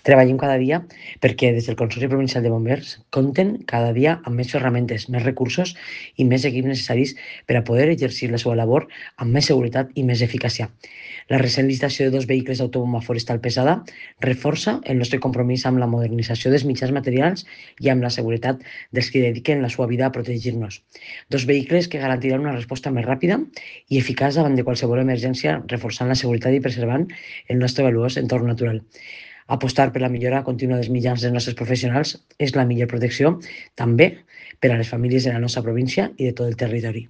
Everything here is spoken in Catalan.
Treballem cada dia perquè des del Consorci Provincial de Bombers compten cada dia amb més ferramentes, més recursos i més equips necessaris per a poder exercir la seva labor amb més seguretat i més eficàcia. La recent licitació de 2 vehicles d'autobomba forestal pesada reforça el nostre compromís amb la modernització dels mitjans materials i amb la seguretat dels que dediquen la seva vida a protegir-nos. 2 vehicles que garantiran una resposta més ràpida i eficaç davant de qualsevol emergència, reforçant la seguretat i preservant el nostre valuós entorn natural. Apostar per la millora contínua dels mitjans dels nostres professionals és la millor protecció també per a les famílies de la nostra província i de tot el territori.